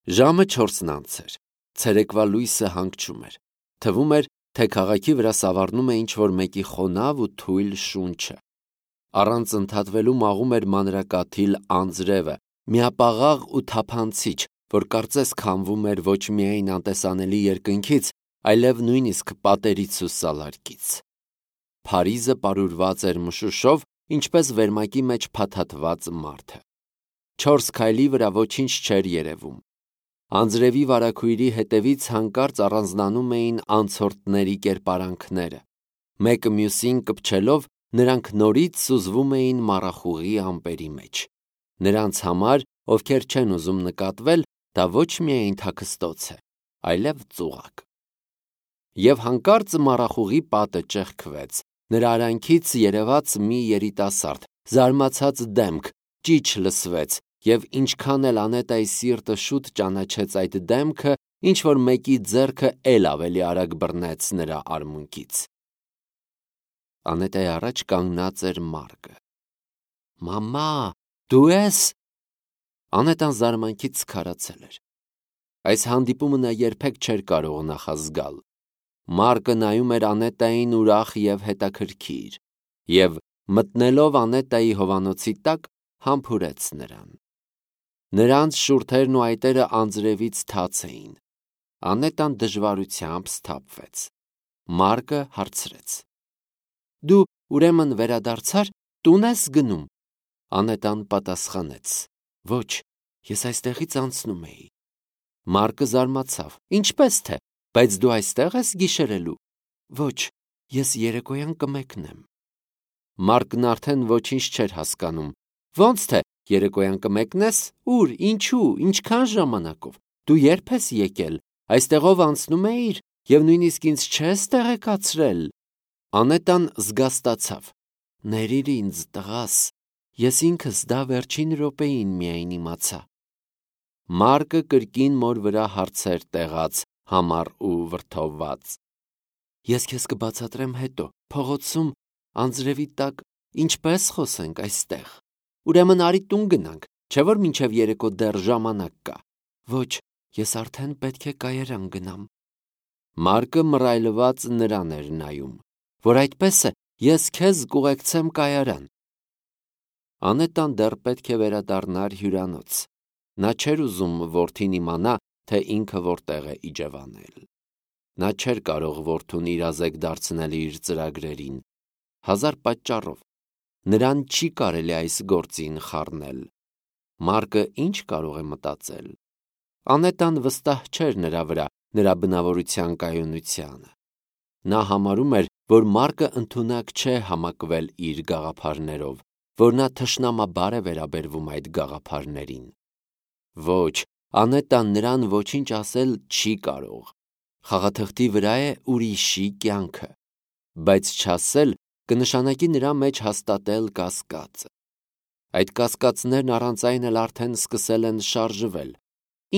Ժամը 4-ն անց էր, ցերեկվա լույսը հանգչում էր, թվում էր, թե քաղաքի վրա սավառնում է ինչ-որ մեկի խոնավ ու թույլ շունչը։ Առանց ընդհատվելու մաղում էր մանրակաթիլ անձրևը, միապաղաղ ու թափանցիչ, որ կարծես քամվում էր ոչ միայն անտեսանելի երկնքից, այլև նույնիսկ պատերից ու սալարկից։ Փարիզը պարուրված էր մշուշով, ինչպես վերմակի մեջ փաթաթված մարդը։ 4 քայլի վրա ոչինչ չէր երևում։ Անձրևի վարագույրի հետևից հանկարծ առանձնանում էին անցորդների կերպարանքները։ Մեկը մյուսին կպչելով, նրանք նորից սուզվում էին մառախուղի ամպերի մեջ։ Նրանց համար, ովքեր չեն ուզում նկատվել, դա ոչ միայն թաքստոց է, այլև ծուղակ։ Եվ հանկարծ մառախուղի պատը ճեղքվեց, նրա արանքից երևաց մի երիտասարդ, զարմացած դեմք, ճիչ լսվեց, և ինչքան էլ Անետայի սիրտը շուտ ճանաչեց այդ դեմքը, ինչ-որ մեկի ձեռքը էլ ավելի արագ բռնեց նրա արմունկից։ Անետայի առաջ կանգնած էր Մարկը։ «Մամա, դու ես»։ Անետան զարմանքից քարացել էր։ Այս հանդիպումը նա երբեք չէր կարող նախազգալ։ Մարկը նայում էր Անետային ուրախ և հետաքրքիր, և մտնելով Անետայի հովանոցի տակ, համբուրեց նրան։ Նրանց շուրթերն ու այտերը անձրևից թաց էին։ Անետան դժվարությամբ սթափվեց։ Մարկը հարցրեց. «Դու ուրեմն վերադարձար, տուն ես գնում»։ Անետան պատասխանեց. «Ոչ, ես այստեղից անցնում էի»։ Մարկը զարմացավ. «Ինչպես թե, բայց դու այստեղ ես գիշերելու»։ «Ոչ, ես երեկոյան կմեկնեմ»։ Մարկն արդեն ոչինչ չէր հասկանում։ «Ոնց թե, երեկոյան կմեկնես, ուր, ինչու, ինչքան ժամանակով, դու երբ ես եկել, այստեղով անցնում էիր և նույնիսկ ինձ չես տեղեկացրել»։ Անետան զգաստացավ. «Ներիր ինձ, տղաս, ես ինքս դա վերջին րոպեին միայն իմացա»։ Մարկը կրկին մոր վրա հարցեր տեղաց, համառ ու վրդովված. «Ես քեզ կբացատրեմ հետո, փողոցում, անձրևի տակ, ինչպես խոսենք այստեղ։ Ուրեմն արի տուն գնանք, չէ՞ որ մինչև երեկո դեռ ժամանակ կա»։ «Ոչ, ես արդեն պետք է կայարան գնամ»։ Մարկը մռայլված նրան էր նայում։ «Որ այդպես է, ես քեզ կուղեկցեմ կայարան»։ Անետան դեռ պետք է վերադառնար հյուրանոց։ Նա չէր ուզում որդին իմանա, թե ինքը որտեղ է իջևանել։ Նա չէր կարող որդուն իրազեկ դարձնել իր ծրագրերին։ Հազար պատճառով։ Նրան չի կարելի այս գործին խառնել։ Մարկը ինչ կարող է մտածել։ Անետան վստահ չէր նրա վրա, նրա բնավորության կայունությանը։ Նա համարում էր, որ Մարկը ընդունակ չէ համակվել իր գաղափարներով, որ նա թշնամաբար է վերաբերվում այդ գաղափարներին։ Ոչ, Անետան նրան ոչինչ ասել չի կարող։ Խաղաթղթի վրա է ուրիշի կյանքը, բայց չասել կնշանակի նրա մեջ հաստատել կասկածը։ Այդ կասկածներն առանց այն էլ արդեն սկսել են շարժվել։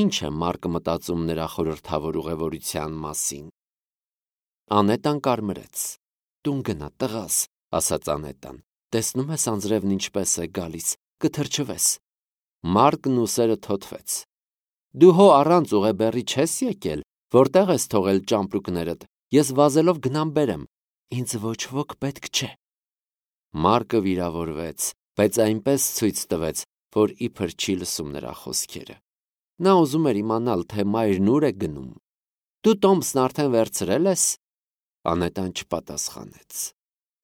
Ինչ է Մարկը մտածում նրա խորհրդավոր ուղևորության մասին։ Անետան կարմրեց։ «Տուն գնա, տղաս», ասաց Անետան։ «Տեսնում ես անձրևն ինչպես է գալիս, կթրջվես»։ Մարկն ուսերը թոթվեց։ «Դու հո առանց ուղեբեռի չես եկել, որտեղ ես թողել ճամպրուկներդ, ես վազելով գնամ բերեմ, ինձ ոչ ոք պետք չէ»։ Մարկը վիրավորվեց, բայց այնպես ցույց տվեց, որ իբր չի լսում նրա խոսքերը։ Նա ուզում էր իմանալ, թե մայրն ուր է գնում։ «Դու տոմսն արդեն վերցրել ես»։ Անետան չպատասխանեց։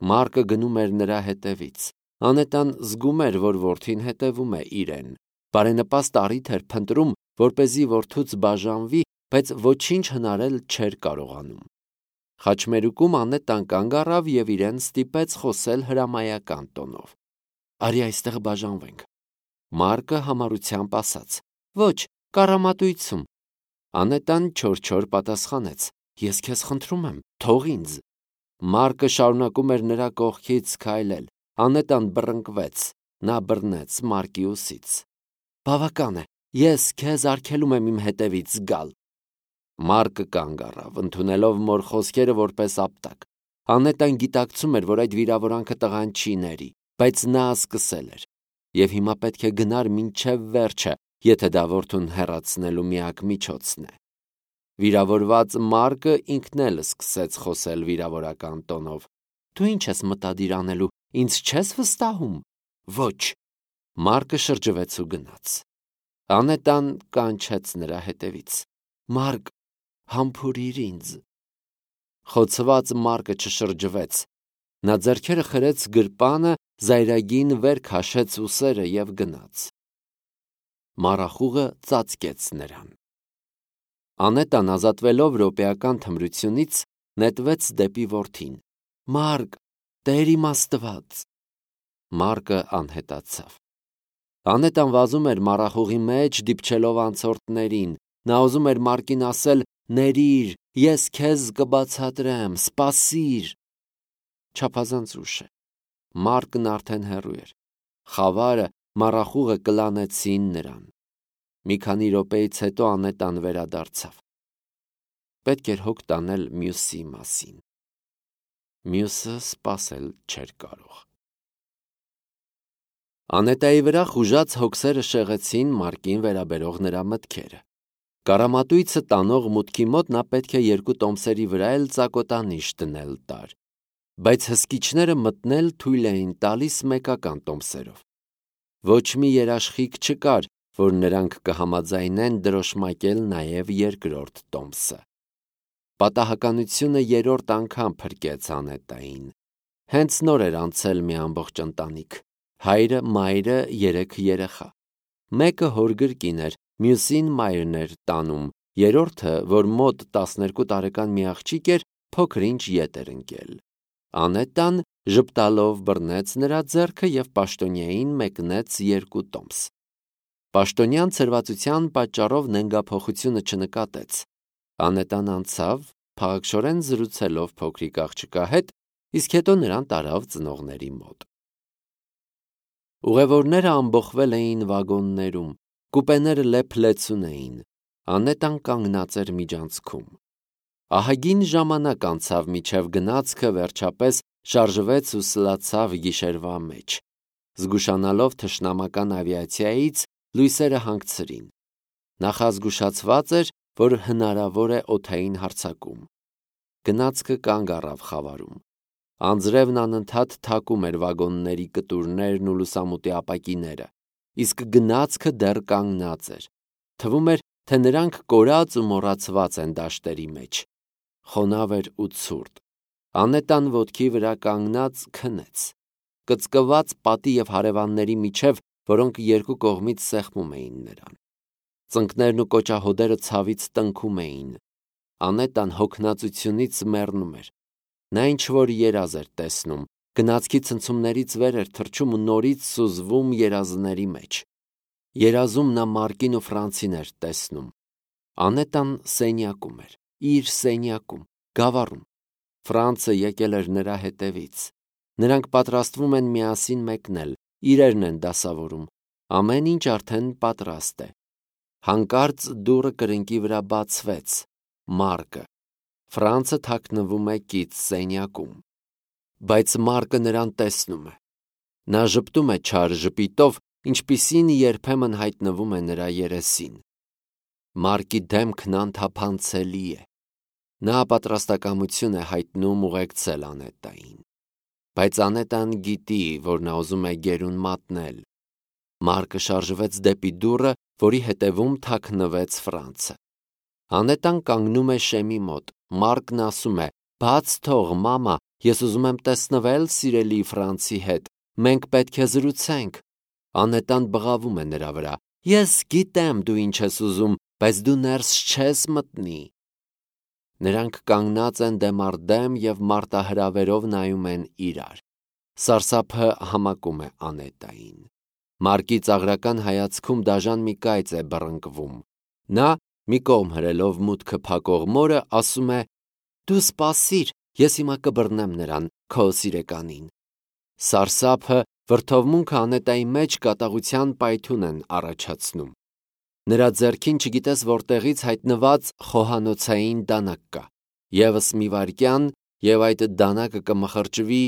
Մարկը գնում էր նրա հետևից։ Անետան զգում էր, որ որդին հետևում է իրեն։ Բարենպաստ առիթ էր փնտրում, որպեսզի որդուց բաժանվի, բայց ոչինչ հնարել չէր կարողանում։ Խաչմերուկում Անետան կանգ առավ և իրեն ստիպեց խոսել հրամայական տոնով։ «Արի այստեղ բաժանվենք»։ Մարկը համառությամբ ասաց. «Ոչ, կառամատույցում»։ Անետան չոր պատասխանեց. «Ես քեզ խնդրում եմ, թող ինձ»։ Մարկը շարունակում էր նրա կողքից քայլել։ Անետան բռնկվեց։ Նա բռնեց Մարկի ուսից։ «Բավական է, ես քեզ արգելում եմ իմ հետևից գալ»։ Մարկը կանգ առավ, ընդունելով մոր խոսքերը որպես ապտակ։ Անետան գիտակցում էր, որ այդ վիրավորանքը տղան չի ների, բայց նա սկսել էր։ Եվ հիմա պետք է գնար մինչև վերջը, եթե դա որդուն հեռացնելու միակ միջոցն է։ Վիրավորված Մարկը ինքն էլ սկսեց խոսել վիրավորական տոնով. «Դու ինչ ես մտադիր անելու, ինձ չես վստահում»։ «Ոչ»։ Մարկը շրջվեց ու գնաց։ Անետան կանչեց նրա հետևից. «Մարկ, համբուրիր ինձ»։ Խոցված Մարկը չշրջվեց։ Նա ձեռքերը խրեց գրպանը, զայրագին վեր քաշեց ուսերը և գնաց։ Մառախուղը ծածկեց նրան։ Անետան, ազատվելով րոպեական թմրությունից, նետվեց դեպի որդին. «Մարկ, Տեր իմ Աստված»։ Մարկը անհետացավ։ Անետան վազում էր մառախուղի մեջ, դիպչելով անցորդներին։ Նա ուզում էր Մարկին ասել. «Ներիր, ես քեզ կբացատրեմ, սպասիր»։ Չափազանց ուշ է։ Մարկն արդեն հեռու էր։ Խավարը, մառախուղը կլանեցին նրան։ Մի քանի րոպեից հետո Անետան վերադարձավ։ Պետք էր հոգ տանել մյուսի մասին։ Մյուսը սպասել չէր կարող։ Անետայի վրա խուժած հոգսերը շեղեցին Մարկին վերաբերող նրա մտքերը։ Կարամատույցը տանող մուտքի մոտ նա պետք է 2 տոմսերի վրա էլ ծակոտանիշ դնել տար, բայց հսկիչները մտնել թույլ էին տալիս մեկական տոմսերով։ Ոչ մի երաշխիք չկար, որ նրանք կհամաձայնեն դրոշմակել նաև 2-րդ տոմսը։ Պատահականությունը 3-րդ անգամ փրկեց Անետային։ Հենց նոր էր անցել մի ամբողջ ընտանիք։ Հայրը, մայրը, 3 երեխա։ Մեկը հոր գրկին էր, մյուսին մայրն էր տանում, երրորդը, որ մոտ 12 տարեկան մի աղջիկ էր, փոքր-ինչ ետ էր ընկել։ Անետան ժպտալով բռնեց նրա ձեռքը և պաշտոնյային մեկնեց 2 տոմս։ Պաշտոնյան ցրվածության պատճառով նենգափոխությունը չնկատեց։ Անետան անցավ, փաղաքշորեն զրուցելով փոքրիկ աղջկա հետ, իսկ հետո նրան տարավ ծնողների մոտ։ Ուղևորները ամբոխվել էին վագոններում, կուպեները լեփ-լեցուն էին։ Անետան կանգնած էր միջանցքում։ Ահագին ժամանակ անցավ, մինչև գնացքը վերջապես շարժվեց ու սլացավ գիշերվա մեջ։ Զգուշանալով թշնամական ավիացիայից, լույսերը հանգցրին։ Նախազգուշացված էր, որ հնարավոր է օդային հարձակում։ Գնացքը կանգ առավ խավարում։ Անձրևն անընդհատ թակում էր վագոնների կտուրներն ու լուսամուտի ապակիները, իսկ գնացքը դեռ կանգնած էր։ Թվում էր, թե նրանք կորած ու մոռացված են դաշտերի մեջ։ Խոնավ էր ու ցուրտ։ Անետան ոտքի վրա կանգնած քնեց։ Կծկված պատի և հարևանների միջև, որոնք 2 կողմից սեղմում էին նրան։ Ծնկներն ու կոճահոդերը ցավից տնքում էին։ Անետան հոգնածությունից մեռնում էր։ Նա ինչ-որ երազ էր տեսնում, գնացքի ցնցումներից վեր էր թռչում ու նորից սուզվում երազների մեջ։ Երազում նա Մարկին ու Ֆրանցին էր տեսնում։ Անետան սենյակում էր, իր սենյակում, գավառում։ Ֆրանցը եկել էր նրա հետևից։ Նրանք պատրաստվում են միասին մեկնել, իրերն են դասավորում։ Ամեն ինչ արդեն պատրաստ է։ Հանկարծ դուռը կրկնակի վրա բացվեց։ Մարկը։ Ֆրանցը թաքնվում է կից սենյակում։ Բայց Մարկը նրան տեսնում է։ Նա ժպտում է չար ժպիտով, ինչպիսին երբեմն հայտնվում է նրա երեսին։ Մարկի դեմքն անթափանցելի է։ Նա պատրաստակամություն է հայտնում ուղեկցել Անետային։ Բայց Անետան գիտի, որ նա ուզում է գերուն մատնել։ Մարկը շարժվեց դեպի դուռը, որի հետևում թաքնվեց Ֆրանցը։ Անետան կանգնում է շեմի մոտ։ Մարկն ասում է. «Բաց թող, մամա, ես ուզում եմ տեսնվել սիրելի Ֆրանցի հետ։ Մենք պետք է զրուցենք»։ Անետան բղավում է նրա վրա. «Ես գիտեմ դու ինչ ես ուզում, բայց դու ներս չես մտնի»։ Նրանք կանգնած են դեմ առ դեմ և մարտահրավերով նայում են իրար։ Սարսափը համակում է Անետային։ Մարկի ծաղրական հայացքում դաժան մի կայծ է բռնկվում։ Նա, մի կողմ հրելով մուտքը փակող մորը, ասում է. «Դու սպասիր, ես հիմա կբռնեմ նրան, քո սիրեկանին»։ Սարսափը, վրդովմունքը Անետայի մեջ կատաղության պայթյուն են առաջացնում։ Նրա ձեռքին չգիտես որտեղից հայտնված խոհանոցային դանակ կա։ Եվս մի վայրկյան, և այդ դանակը կմխրճվի։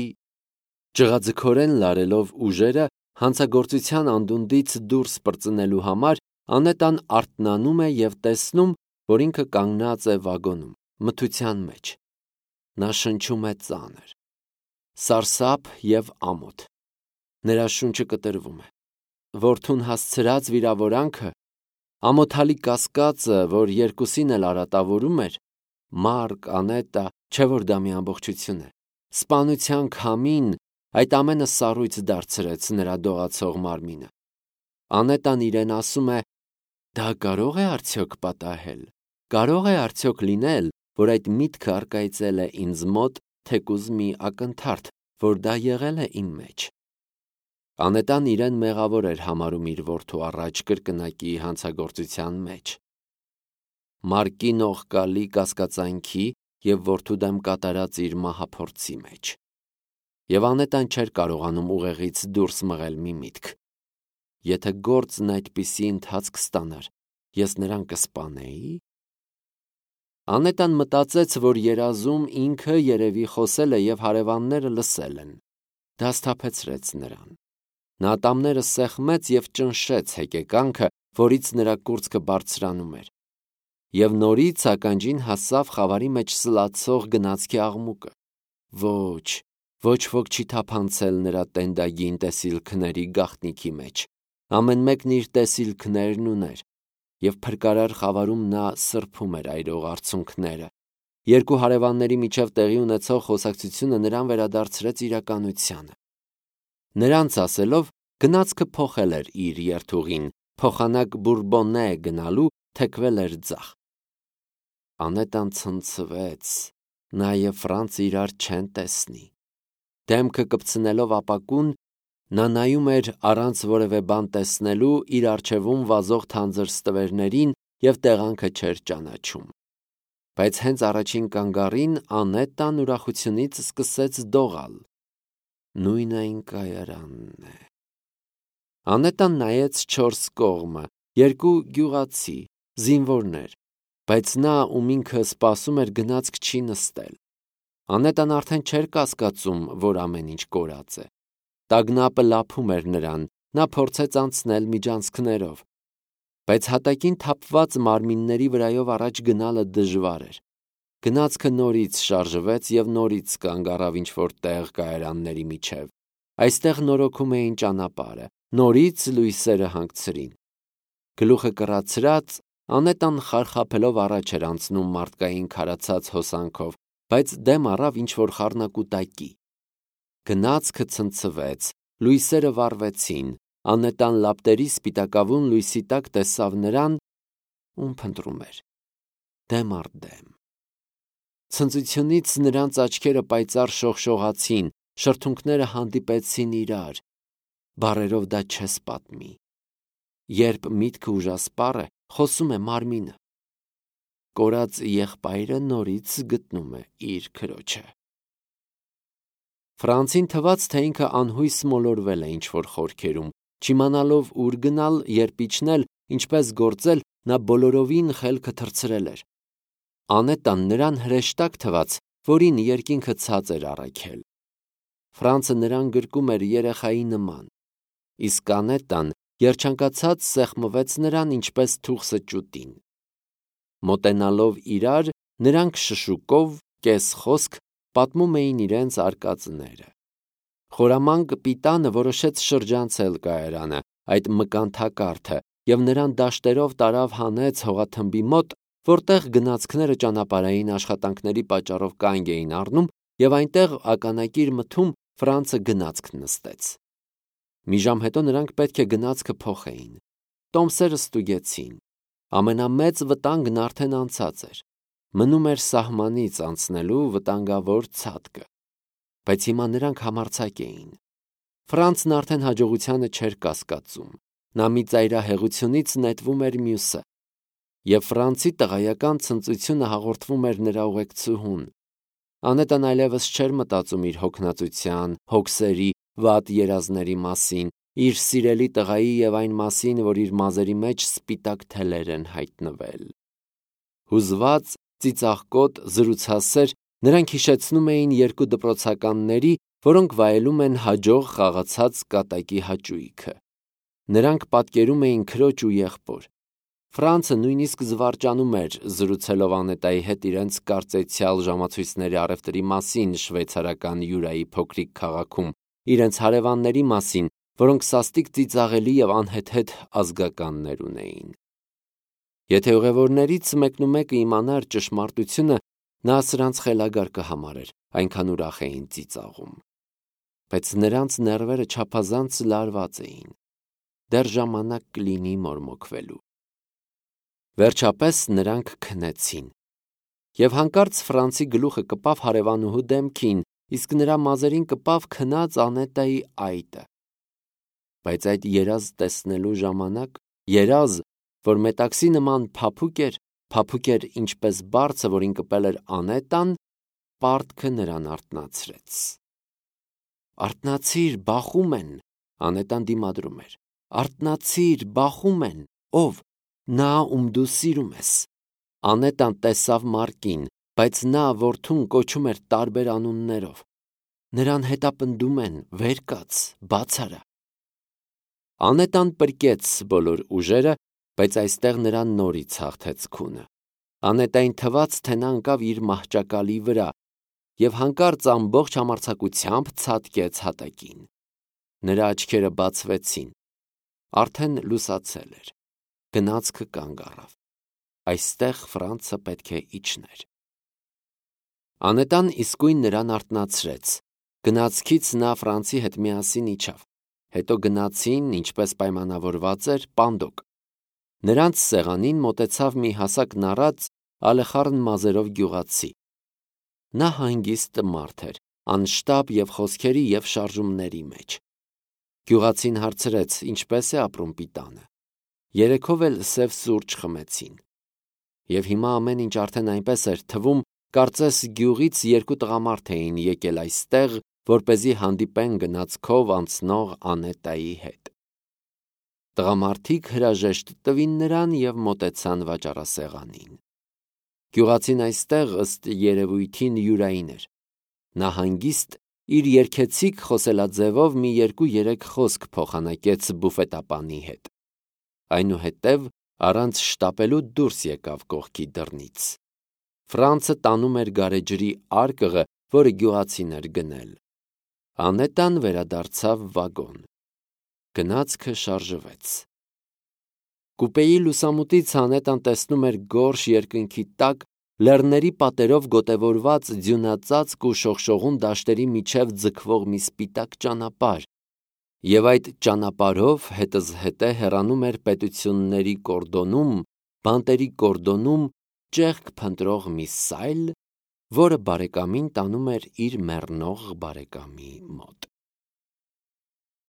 Ճղաձգորեն լարելով ուժերը, հանցագործության անդունդից դուրս պրծնելու համար Անետան արթնանում է և տեսնում, որ ինքը կանգնած է վագոնում, մթության մեջ։ Նա շնչում է ծանր, սարսափ և ամոթ։ Նրա շունչը կտրվում է։ Որդուն հասցրած վիրավորանքը, ամոթալի կասկածը, որ երկուսին էլ արատավորում էր, Մարկ, Անետա, չէ որ դա մի ամբողջություն է, սպանության քամին, այդ ամենը սառույց դարձրեց նրա դողացող մարմինը։ Անետան իրեն ասում է. դա կարող է արդյոք պատահել, կարող է արդյոք լինել, որ այդ միտքը առկայծել է ինձ մոտ, թեկուզ մի ակնթարթ, որ դա եղել է իմ մեջ։ Անետան իրեն մեղավոր էր համարում իր որդու առաջ կրկնակի հանցագործության մեջ, Մարկի նողկալի կասկածանքի և որդու դեմ կատարած իր մահափորձի մեջ։ Եվ Անետան չէր կարողանում ուղեղից դուրս մղել մի միտք. եթե գործն այդպիսի ընթացք ստանար, ես նրան կսպանեի՞։ Անետան մտածեց, որ երազում ինքը երևի խոսել է և հարևանները լսել են։ Դա սթափեցրեց նրան։ Նա ատամները սեղմեց և ճնշեց հեկեկանքը, որից նրա կուրծքը բարձրանում էր։ Եվ նորից ականջին հասավ խավարի մեջ սլացող գնացքի աղմուկը։ Ոչ ոք չի թափանցել նրա տենդագին տեսիլքների գաղտնիքի մեջ։ Ամեն մեկն իր տեսիլքներն ուներ, և փրկարար խավարում նա սրբում էր այրող արցունքները։ Երկու հարևանների միջև տեղի ունեցող խոսակցությունը նրան վերադարձրեց իրականությանը։ Նրանց ասելով, գնացքը փոխել էր իր երթուղին, փոխանակ Բուրբոննե գնալու թեքվել էր ձախ։ Անետան ցնցվեց, նա և Ֆրանցը իրար չեն տեսնի։ Դեմքը կպցնելով ապակուն, նա նայում էր առանց որևէ բան տեսնելու իր առջևում վազող թանձր ստվերներին և տեղանքը չէր ճանաչում։ Բայց հենց առաջին կանգառին Անետան ուրախությունից սկսեց դողալ։ Նույն այն կայարանն է։ Անետան նայեց չորս կողմը, երկու գյուղացի, զինվորներ, բայց նա, ում ինքը սպասում էր, գնացք չի նստել։ Անետան արդեն չէր կասկածում, որ ամեն ինչ կորած է։ Տագնապը լափում էր նրան, նա փորձեց անցնել միջանցքներով։ Բայց հատակին թափված մարմինների վրայով առաջ գնալը դժվար էր։ Գնացքը նորից շարժվեց և նորից կանգ առավ ինչ-որ տեղ կայարանների միջև։ Այստեղ նորոգում էին ճանապարհը, նորից լույսերը հանգցրին։ Գլուխը կռացրած, Անետան խարխափելով առաջ էր անցնում մարդկային քարացած հոսանքով, բայց դեմ առավ ինչ-որ խառնակուտակի։ Գնացքը ցնցվեց, լույսերը վառվեցին, Անետան լապտերի սպիտակավուն լույսի տակ տեսավ նրան, ում փնտրում էր, դեմ առ դեմ։ Ցնծությունից նրանց աչքերը պայծառ շողշողացին, շրթունքները հանդիպեցին իրար։ Բառերով դա չես պատմի։ Երբ միտքը ուժասպառ է, խոսում է մարմինը։ Կորած եղբայրը նորից գտնում է իր քրոջը։ Ֆրանցին թվաց, թե ինքը անհույս մոլորվել է ինչ-որ խորքերում, չիմանալով ուր գնալ, երբ իջնել, ինչպես գործել, նա բոլորովին խելքը թռցրել էր։ Անետան նրան հրեշտակ թվաց, որին երկինքը ցած էր առաքել։ Ֆրանցը նրան գրկում էր երեխայի նման, իսկ Անետան երջանկացած սեղմվեց նրան, ինչպես թուխսը ճուտին։ Մոտենալով իրար, նրանք շշուկով, կես-խոսք պատմում էին իրենց արկածները։ Խորամանկ պիտանը որոշեց շրջանցել կայարանը, այդ մկանթակարդը, և նրան դաշտերով տարավ հանեց հողաթմբի մոտ, որտեղ գնացքները ճանապարհային աշխատանքների պատճառով կանգ էին առնում, և այնտեղ ականակիր մթում Ֆրանցը գնացք նստեց։ Մի ժամ հետո նրանք պետք է գնացքը փոխեին։ Տոմսերը ստուգեցին։ Ամենամեծ վտանգն արդեն անցած էր։ Մնում էր սահմանից անցնելու վտանգավոր ցատկը։ Բայց հիմա նրանք համարձակ էին։ Ֆրանցն արդեն հաջողությանը չէր կասկածում։ Նա մի ծայրահեղությունից նետվում էր մյուսը։ Եվ Ֆրանցի տղայական ցնծությունը հաղորդվում էր նրա ուղեկցուհուն։ Անետան այլևս չէր մտածում իր հոգնածության, հոգսերի, վատ երազների մասին, իր սիրելի տղայի և այն մասին, որ իր մազերի մեջ սպիտակ թելեր են հայտնվել։ Հուզված, ծիծաղկոտ, զրուցասեր, նրանք հիշեցնում էին երկու դպրոցականների, որոնք վայելում են հաջող խաղացած կատակի հաճույքը։ Նրանք պատկերում էին քրոջ ու եղբոր, Ֆրանցը նույնիսկ զվարճանում էր զրուցելով Անետայի հետ իրենց կարծեցյալ ժամացույցների առևտրի մասին շվեյցարական Յուրայի փոքրիկ քաղաքում, իրենց հարևանների մասին, որոնք սաստիկ ծիծաղելի և անհեթեթ ազգականներ ունեին։ Եթե ուղևորներից մեկնումեկը իմանար ճշմարտությունը, նա սրանց խելագար կհամարեր, այնքան ուրախ էին ծիծաղում։ Բայց նրանց ներվերը չափազանց լարված էին։ Դեռ ժամանակ կլինի մորմոքվելու։ Վերջապես նրանք քնեցին, և հանկարծ Ֆրանցի գլուխը կպավ հարևանուհու դեմքին, իսկ նրա մազերին կպավ քնած Անետայի այտը։ Բայց այդ երազ տեսնելու ժամանակ, երազ, որ մետաքսի նման փափուկ էր ինչպես բարձը, որին կպել էր Անետան, պարտքը նրան արթնացրեց։ «Արթնացիր, բախում են», Անետան դիմադրում էր։ «Արթնացիր, բախում են, ով, նա, ում դու սիրում ես»։ Անետան տեսավ Մարկին, բայց նա որդուն կոչում էր տարբեր անուններով։ Նրան հետապնդում են, վեր կաց, բաց արա։ Անետան պրկեց բոլոր ուժերը, բայց այստեղ նրան նորից հաղթեց քունը։ Անետային թվաց, թե նա ընկավ իր մահճակալի վրա, և հանկարծ ամբողջ համարձակությամբ ցատկեց հատակին։ Նրա աչքերը բացվեցին։ Արդեն լուսացել էր։ Գնացքը կանգ առավ։ Այստեղ Ֆրանցը պետք է իջներ։ Անետան իսկույն նրան արթնացրեց։ Գնացքից նա Ֆրանցի հետ միասին իջավ։ Հետո գնացին, ինչպես պայմանավորված էր, պանդոկ։ Նրանց սեղանին մոտեցավ մի հասակ նառած, ալեխառն մազերով գյուղացի։ Նա հանգիստ մարդ էր, անշտապ և խոսքերի և շարժումների մեջ։ Գյուղացին հարցրեց, ինչպես է ապրում պիտանը։ Երեքով էլ սև սուրճ խմեցին։ Եվ հիմա ամեն ինչ արդեն այնպես էր թվում, կարծես գյուղից երկու տղամարդ էին եկել այստեղ, որպեսզի հանդիպեն գնացքով անցնող Անետայի հետ։ Տղամարդիկ հրաժեշտ տվին նրան և մոտեցան վաճառասեղանին։ Գյուղացին այստեղ ըստ երևույթին Յուրային էր։ Նա հանգիստ իր երգեցիկ խոսելաձևով մի 2-3 խոսք փոխանակեց բուֆետապանի հետ։ Այնուհետև առանց շտապելու դուրս եկավ կողքի դռնից։ Ֆրանցը տանում էր գարեջրի արկղը, որը գյուղացին էր գնել։ Անետան վերադարձավ վագոն։ Գնացքը շարժվեց։ Կուպեի լուսամուտից Անետան տեսնում էր գորշ երկնքի տակ, լեռների պատերով գոտևորված ձյունածածկ ու շողշողուն դաշտերի միջև ձգվող մի սպիտակ ճանապարհ, և այդ ճանապարհով հետզհետե հեռանում էր պետությունների կորդոնում, բանտերի կորդոնում ճեղք փնտրող մի սայլ, որը բարեկամին տանում էր իր մեռնող բարեկամի մոտ։